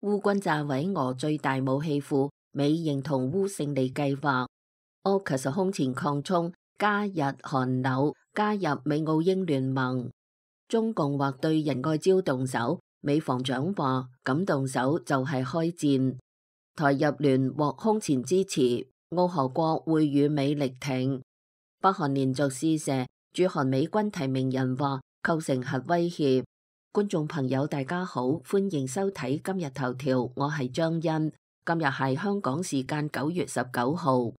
烏軍炸毀俄最大武器庫，美認同烏勝利計劃。AUKUS 空前擴充，加日韓紐加入美澳英聯盟。中共或對仁愛礁動手，美防長話咁動手就係開戰。台日聯獲空前支持，澳俄國會與美力挺。北韓連續試射，駐韓美軍提名人話構成核威脅。觀眾朋友大家好，歡迎收睇今日頭條，我係張欣。今日係香港時間9月19號。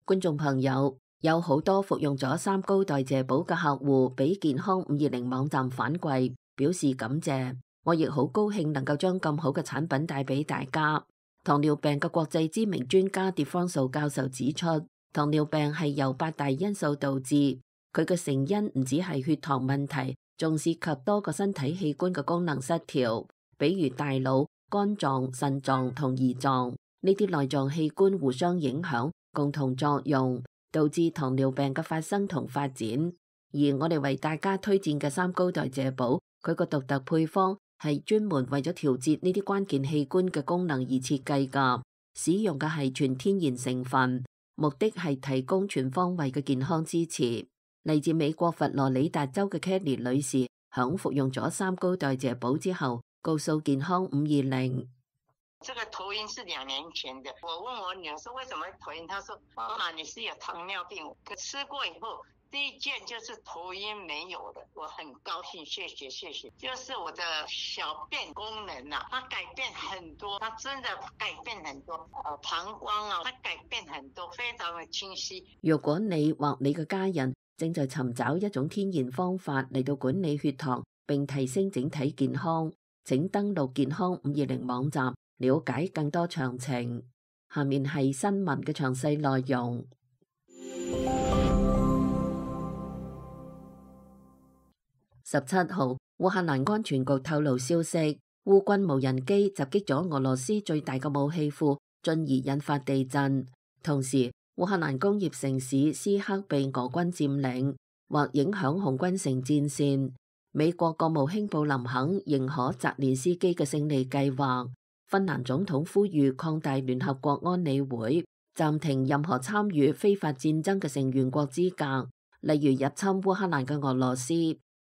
觀眾朋友，有好多服用咗三高代謝寶嘅客戶俾健康520網站反饋，表示感謝。我亦好高興能夠將咁好嘅產品帶俾大家。糖尿病嘅國際知名專家狄方素教授指出，糖尿病係由8大因素導致，佢嘅成因唔止係血糖問題，仲涉及多個身體器官嘅功能失調，比如大腦、肝臟、腎臟同胰臟，呢啲內臟器官互相影響，共同作用，導致糖尿病嘅發生同發展。而我哋為大家推薦嘅三高代謝寶，佢個獨特配方係專門為咗調節呢啲關鍵器官嘅功能而設計㗎，使用嘅係全天然成分，目的係提供全方位嘅健康支持。嚟自美國佛羅里達州嘅 Kelly 女士，響服用咗三高代謝寶之後，告訴健康520。這個頭暈是2年前的，我問我女兒說為什麼頭暈，她說媽媽你是有糖尿病，可吃過以後第一件就是頭暈沒有的，我很高興，謝謝，就是我的小便功能啊，它改變很多，它真的改變很多，膀胱啊，它改變很多，非常的清晰。如果你或你嘅家人正在尋找一種天然方法嚟到管理血糖並提升整體健康，請登錄健康520網站了解更多詳情。下面係新聞嘅詳細內容。17號，烏克蘭安全局透露消息，烏軍無人機襲擊咗俄羅斯最大嘅武器庫，進而引發地震。同時，烏克蘭工業城市斯克被俄軍佔領，或影響紅軍城戰線。美國國務卿布林肯認可澤連斯基嘅勝利計劃。芬蘭總統呼籲擴大聯合國安理會，暫停任何參與非法戰爭嘅成員國資格，例如入侵烏克蘭嘅俄羅斯。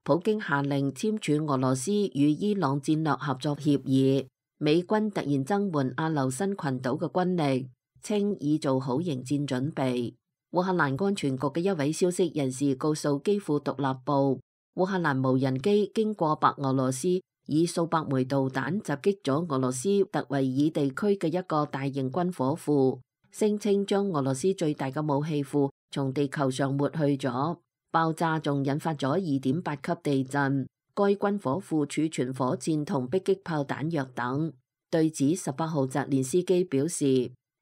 普京下令簽署俄羅斯與伊朗戰略合作協議。美軍突然增援阿留申群島嘅軍力，稱已做好迎戰準備。烏克蘭安全局嘅一位消息人士告訴基輔獨立報，烏克蘭無人機經過白俄羅斯，以數百枚導彈襲擊咗俄羅斯特維爾地區嘅一個大型軍火庫，聲稱將俄羅斯最大嘅武器庫從地球上抹去咗。爆炸仲引發咗2.8級地震。該軍火庫儲存火箭同迫擊炮彈藥等。對此，18號澤連斯基表示，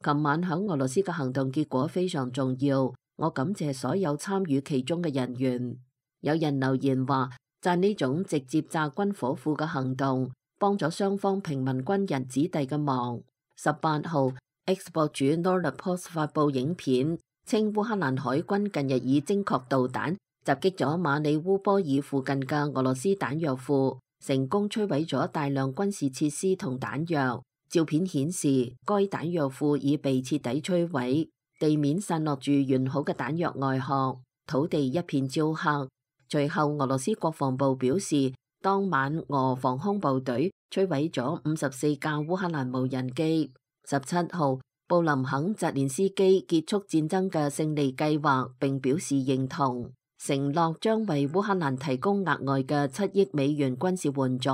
琴晚響俄羅斯嘅行動結果非常重要，我感謝所有參與其中嘅人員。有人留言話，讚呢種直接炸軍火庫嘅行動，幫咗雙方平民軍人子弟嘅忙。18號 X 博主 Nordopost 發佈影片，稱烏克蘭海軍近日以精確導彈襲擊咗馬里烏波爾附近嘅俄羅斯彈藥庫，成功摧毀咗大量軍事設施同彈藥。照片顯示，該彈藥庫已被徹底摧毀，地面散落住完好嘅彈藥外殼，土地一片焦黑。隨後，俄羅斯國防部表示，當晚俄防空部隊摧毀咗54架烏克蘭無人機。17號，布林肯澤連斯基結束戰爭嘅勝利計劃，並表示認同，承諾將為烏克蘭提供額外嘅7億美元軍事援助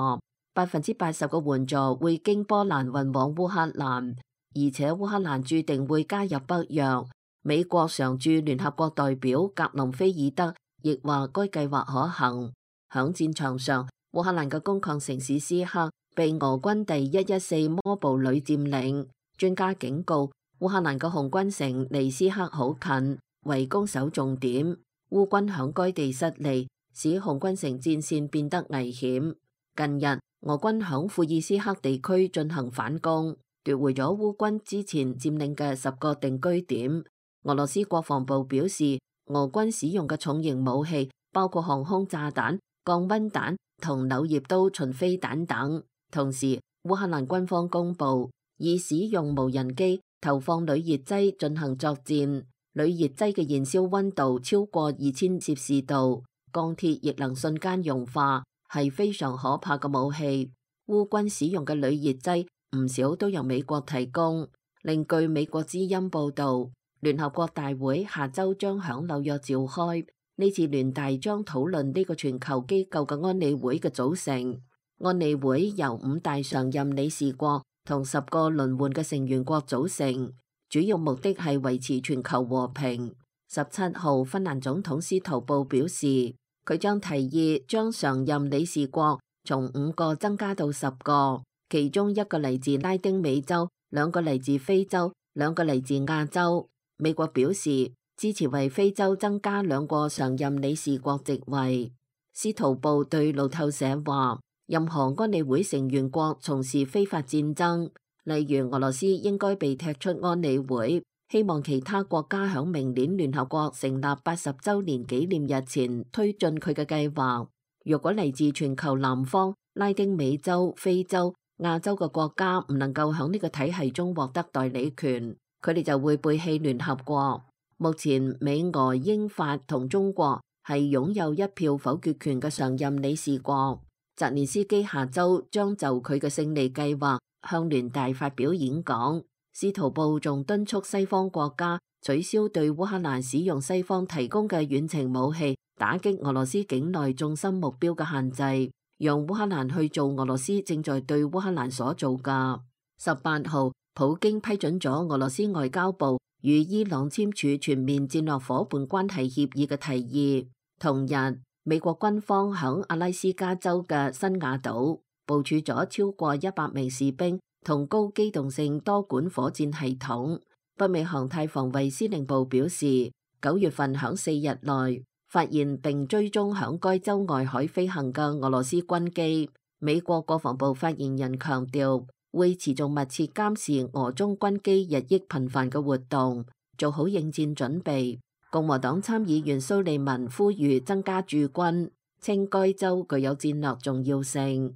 ，80%嘅援助會經波蘭運往烏克蘭，而且烏克蘭注定會加入北約。美國常駐聯合國代表格林菲爾德亦話該計劃可行。響戰場上，烏克蘭嘅工礦城市斯克被俄軍第114摩步旅佔領。專家警告，烏克蘭嘅紅軍城離斯克好近，為攻守重點。烏軍響該地失利，使紅軍城戰線變得危險。近日，俄軍響庫爾斯克地區進行反攻，奪回咗烏軍之前佔領嘅10個定居點。俄羅斯國防部表示，俄軍使用嘅重型武器包括航空炸彈、降溫彈同柳葉刀巡飛彈等。同時，烏克蘭軍方公佈，已使用無人機投放鋁熱劑進行作戰，鋁熱劑嘅燃燒溫度超過2000攝氏度，鋼鐵亦能瞬間融化，係非常可怕嘅武器。烏軍使用嘅鋁熱劑唔少都由美國提供。另據美國之音報導，聯合國大會下週將響紐約召開，呢次聯大將討論呢個全球機構嘅安理會嘅組成。安理會由5大常任理事國同10個輪換嘅成員國組成，主要目的係維持全球和平。17號，芬蘭總統司徒布表示，佢將提議將常任理事國從5個增加到10個，其中1個嚟自拉丁美洲，2個嚟自非洲，2個嚟自亞洲。美國表示支持為非洲增加2個常任理事國席位。司徒布對路透社話，任何安理會成員國從事非法戰爭，例如俄羅斯應該被踢出安理會。希望其他國家響明年聯合國成立80週年紀念日前推進佢嘅計劃。若果嚟自全球南方、拉丁美洲、非洲、亞洲嘅國家唔能夠響呢個體系中獲得代理權，佢哋就會背棄聯合國。目前美、俄、英、法同中國係擁有1票否決權嘅常任理事國。澤連斯基下週將就佢嘅勝利計劃向聯大發表演講。司徒布仲敦促西方國家取消對烏克蘭使用西方提供嘅遠程武器打擊俄羅斯境內重心目標嘅限制，讓烏克蘭去做俄羅斯正在對烏克蘭所做嘅。18號，普京批准咗俄羅斯外交部與伊朗簽署全面戰略夥伴關係協議嘅提議。同日，美國軍方響阿拉斯加州嘅新瓦島部署咗超過100名士兵同高機動性多管火箭系統。北美航太防衛司令部表示，9月份響4日內發現並追蹤響該州外海飛行嘅俄羅斯軍機。美國國防部發言人強調，會持續密切監視俄中軍機日益頻繁嘅活動，做好應戰準備。共和黨參議員蘇利文呼籲增加駐軍，稱該州具有戰略重要性。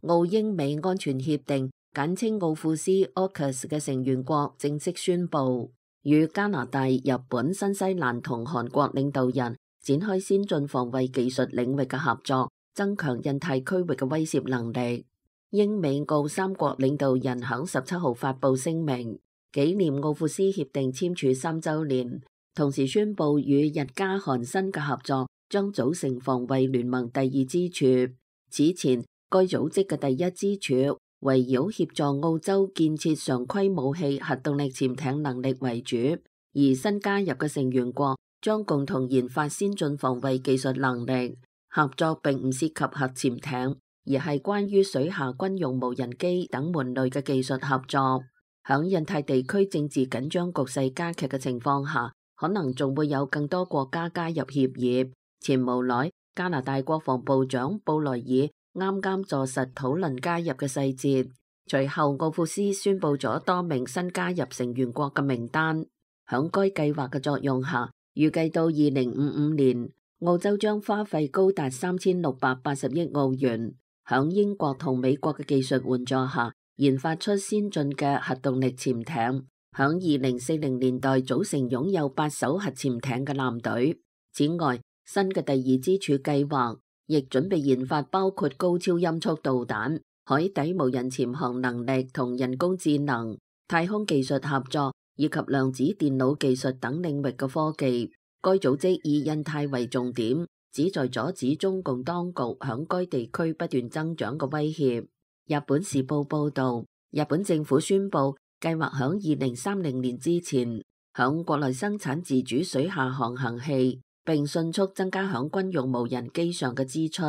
澳英美安全協定簡稱奧庫斯 AUKUS 嘅成員國正式宣布，與加拿大、日本、新西蘭同韓國領導人展開先進防衛技術領域嘅合作，增強印太區域嘅威懾能力。英美澳3國領導人響17號發布聲明，紀念奧庫斯協定簽署3週年，同時宣布與日加韓新嘅合作將組成防衛聯盟第2支柱。此前，該組織嘅第1支柱圍繞協助澳洲建設常規武器核動力潛艇能力為主，而新加入嘅成員國將共同研發先進防衛技術能力。合作並唔涉及核潛艇，而係關於水下軍用無人機等門類嘅技術合作。響印太地區政治緊張局勢加劇嘅情況下，可能仲會有更多國家加入協議。前無耐，加拿大國防部長布萊爾啱啱坐實討論加入嘅細節。隨後，奧庫斯宣布咗多名新加入成員國嘅名單。響該計劃嘅作用下，預計到2055年，澳洲將花費高達3680億澳元，響英國同美國嘅技術援助下，研發出先進嘅核動力潛艇，響2040年代組成擁有8艘核潛艇嘅艦隊。此外，新嘅第2支柱計劃亦準備研發包括高超音速導彈、海底無人潛航能力同人工智能、太空技術合作以及量子電腦技術等領域嘅科技。該組織以印太為重點，旨在阻止中共當局響該地區不斷增長嘅威脅。日本時報報導，日本政府宣布計劃響2030年之前響國內生產自主水下航行器，並迅速增加響軍用無人機上嘅支出。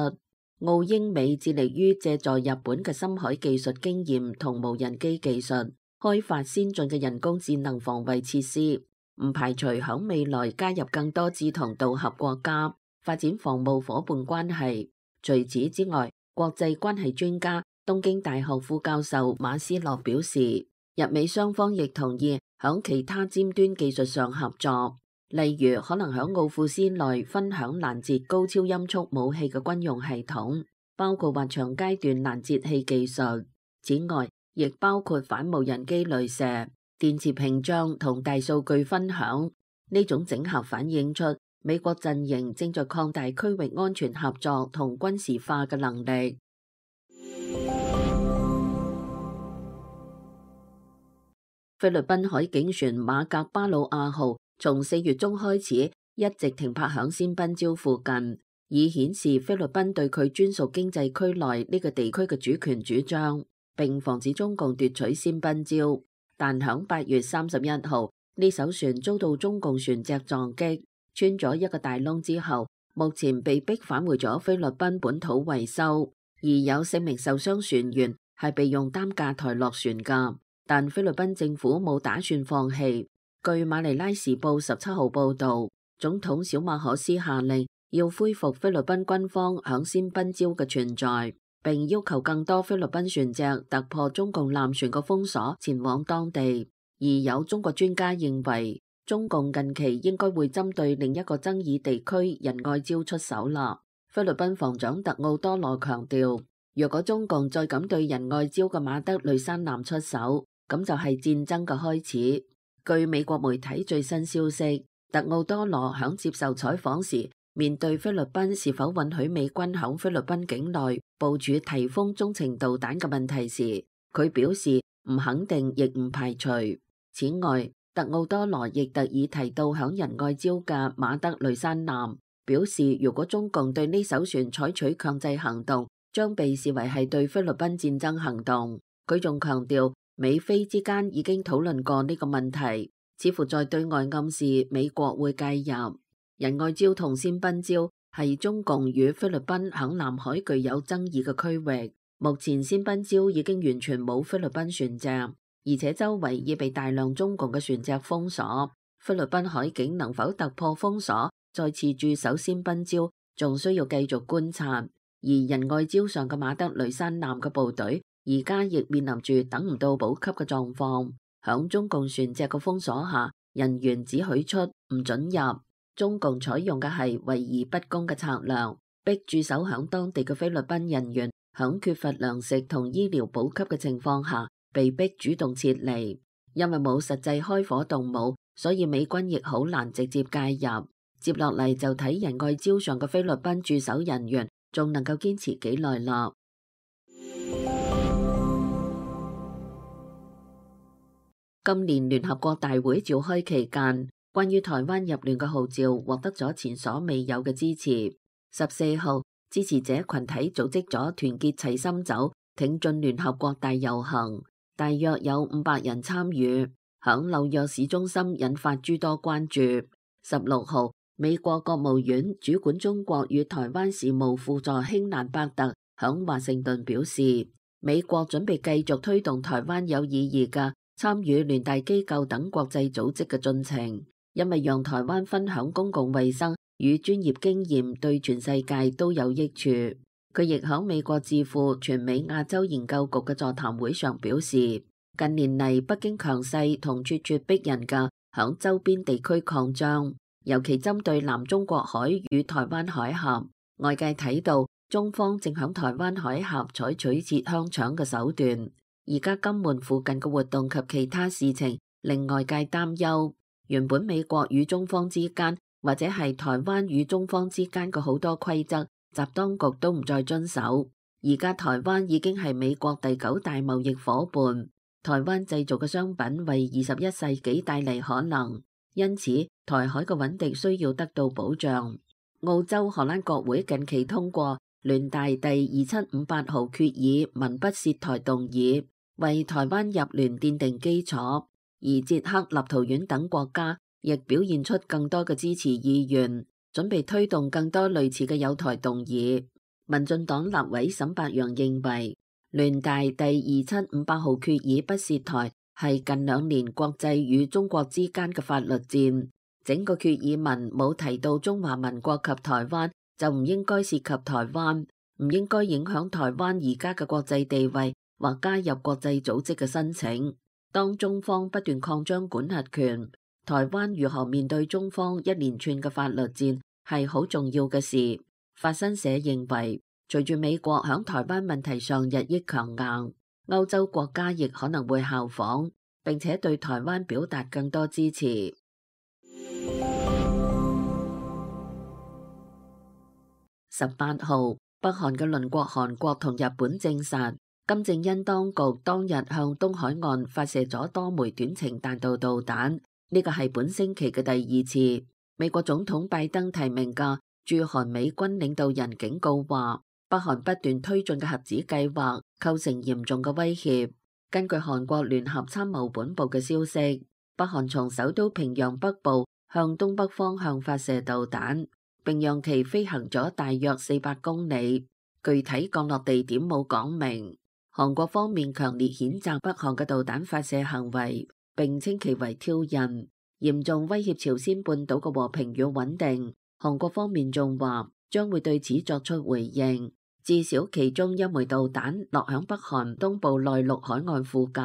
澳英美致力於借助日本嘅深海技術經驗同無人機技術，開發先進嘅人工智能防衛設施，唔排除響未來加入更多志同道合國家，發展防務夥伴關係。除此之外，國際關係專家東京大學副教授馬斯洛表示，日美雙方亦同意響其他尖端技術上合作。例如可能喺奧庫斯內分享攔截高超音速武器嘅軍用系統，包括或長階段攔截器技術。此外，亦包括反無人機雷射、電磁屏障同大數據分享。呢種整合反映出美國陣營正在擴大區域安全合作同軍事化嘅能力。菲律賓海警船馬格巴魯亞號從4月中開始一直停泊響仙賓礁附近，以顯示菲律賓對佢專屬經濟區內呢個地區嘅主權主張，並防止中共奪取仙賓礁。但響8月31號，呢艘船遭到中共船隻撞擊，穿咗一個大窿之後，目前被逼返回咗菲律賓本土維修，而有4名受傷船員係被用擔架抬落船㗎。但菲律賓政府冇打算放棄。據馬尼拉時報17號報導，總統小馬可斯下令要恢復菲律賓軍方響仙賓礁嘅存在，並要求更多菲律賓船隻突破中共艦船嘅封鎖，前往當地。而有中國專家認為，中共近期應該會針對另一個爭議地區仁愛礁出手啦。菲律賓防長特奧多羅強調，若果中共再敢對仁愛礁嘅馬德雷山南出手，咁就係戰爭嘅開始。據美國媒體最新消息，特奧多羅響接受採訪時，面對菲律賓是否允許美軍響菲律賓境內部署提風中程導彈嘅問題時，佢表示唔肯定亦唔排除。此外，特奧多羅亦特意提到響仁愛礁嘅馬德雷山南，表示如果中共對呢艘船採取強制行動，將被視為係對菲律賓戰爭行動。佢仲強調，美菲之間已經討論過呢個問題，似乎在對外暗示美國會介入。仁愛礁同仙賓礁係中共與菲律賓響南海具有爭議嘅區域。目前仙賓礁已經完全冇菲律賓船隻，而且周圍已被大量中共嘅船隻封鎖。菲律賓海警能否突破封鎖，再次駐守仙賓礁，仲需要繼續觀察。而仁愛礁上嘅馬德雷山南嘅部隊，而家亦面臨住等唔到補給嘅狀況，響中共船隻嘅封鎖下，人員只許出唔准入。中共採用嘅係圍而不攻嘅策略，逼駐守響當地嘅菲律賓人員響缺乏糧食同醫療補給嘅情況下，被逼主動撤離。因為冇實際開火動武，所以美軍亦好難直接介入。接落嚟就睇仁愛礁上嘅菲律賓駐守人員仲能夠堅持幾耐啦。今年聯合國大會召開期間，關於台灣入聯嘅號召獲得咗前所未有嘅支持。14號，支持者群體組織咗團結齊心走，挺進聯合國大遊行，大約有500人參與，響紐約市中心引發諸多關注。16號，美國國務院主管中國與台灣事務輔助卿蘭伯特響華盛頓表示，美國準備繼續推動台灣有意義嘅參與聯大機構等國際組織嘅進程，因為讓台灣分享公共衛生與專業經驗對全世界都有益處。佢亦響美國智庫全美亞洲研究局嘅座談會上表示，近年嚟北京強勢同咄咄逼人嘅響周邊地區擴張，尤其針對南中國海與台灣海峽，外界睇到中方正響台灣海峽採取切香腸嘅手段。而家金門附近嘅活動及其他事情令外界擔憂，原本美國與中方之間或者係台灣與中方之間嘅好多規則，習當局都唔再遵守。而家台灣已經係美國第9大貿易夥伴，台灣製造嘅商品為21世紀帶嚟可能，因此台海嘅穩定需要得到保障。澳洲荷蘭國會近期通過聯大第2758號決議文不涉台動議，為台灣入聯奠定基礎，而捷克、立陶宛等國家亦表現出更多嘅支持意願，準備推動更多類似嘅友台動議。民進黨立委沈伯洋認為，聯大第2758號決議不涉台係近2年國際與中國之間嘅法律戰，整個決議文冇提到中華民國及台灣，就唔應該涉及台灣，唔應該影響台灣而家嘅國際地位或加入國際組織嘅申請。當中方不斷擴張管轄權，台灣如何面對中方一連串嘅法律戰係好重要嘅事。法新社認為，隨住美國響台灣問題上日益強硬，歐洲國家亦可能會效仿，並且對台灣表達更多支持。18號，北韓嘅鄰國韓國同日本證實，金正恩當局當日向東海岸發射咗多枚短程彈道導彈，呢個係本星期嘅第二次。美國總統拜登提名嘅駐韓美軍領導人警告話，北韓不斷推進嘅核子計劃構成嚴重嘅威脅。根據韓國聯合參謀本部嘅消息，北韓從首都平壤北部向東北方向發射導彈，並讓其飛行咗大約400公里，具體降落地點冇講明。韓國方面強烈譴責北韓嘅導彈發射行為，並稱其為挑釁，嚴重威脅朝鮮半島嘅和平與穩定。韓國方面仲話將會對此作出回應，至少其中一枚導彈落響北韓東部內陸海岸附近。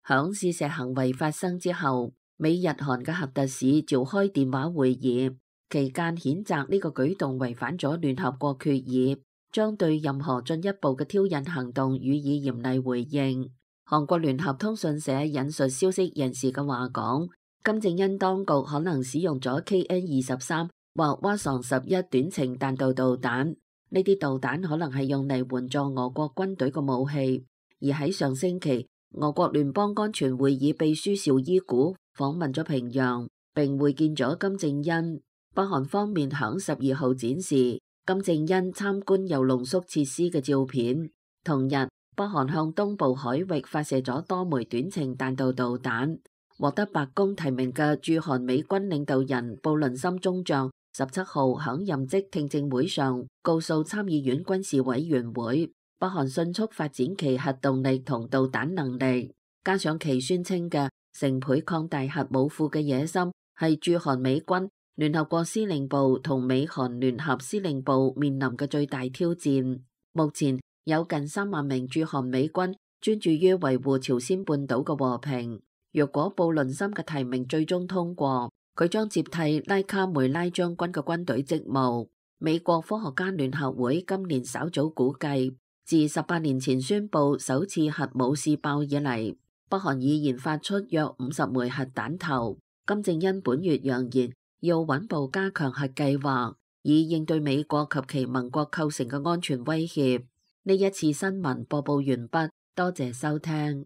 響試射行為發生之後，美日韓嘅核特使召開電話會議，期間譴責呢個舉動違反咗聯合國決議，將對任何進一步嘅挑釁行動予以嚴厲回應。韓國聯合通訊社引述消息人士嘅話講，金正恩當局可能使用咗 KN-23或蛙床11短程彈道導彈，呢啲導彈可能係用嚟援助俄國軍隊嘅武器。而喺上星期，俄國聯邦安全會議秘書邵伊古訪問咗平壤，並會見咗金正恩。北韓方面響12號展示金正恩參觀鈾濃縮設施嘅照片。同日，北韓向東部海域發射咗多枚短程彈道導彈。獲得白宮提名嘅駐韓美軍領導人布倫森中將17號響任職聽證會上告訴參議院軍事委員會，北韓迅速發展其核動力同導彈能力，加上其宣稱嘅成倍擴大核武庫嘅野心，係駐韓美軍、聯合國司令部同美韓聯合司令部面臨嘅最大挑戰。目前有近3萬名駐韓美軍專注於維護朝鮮半島嘅和平。若果布倫森嘅提名最終通過，佢將接替拉卡梅拉將軍嘅軍隊職務。美國科學家聯合會今年稍早估計，自18年前宣布首次核武試爆以嚟，北韓已研發出約50枚核彈頭。金正恩本月揚言要穩步加強核計劃，以應對美國及其盟國構成嘅安全威脅。呢一次新聞播報完畢，多謝收聽。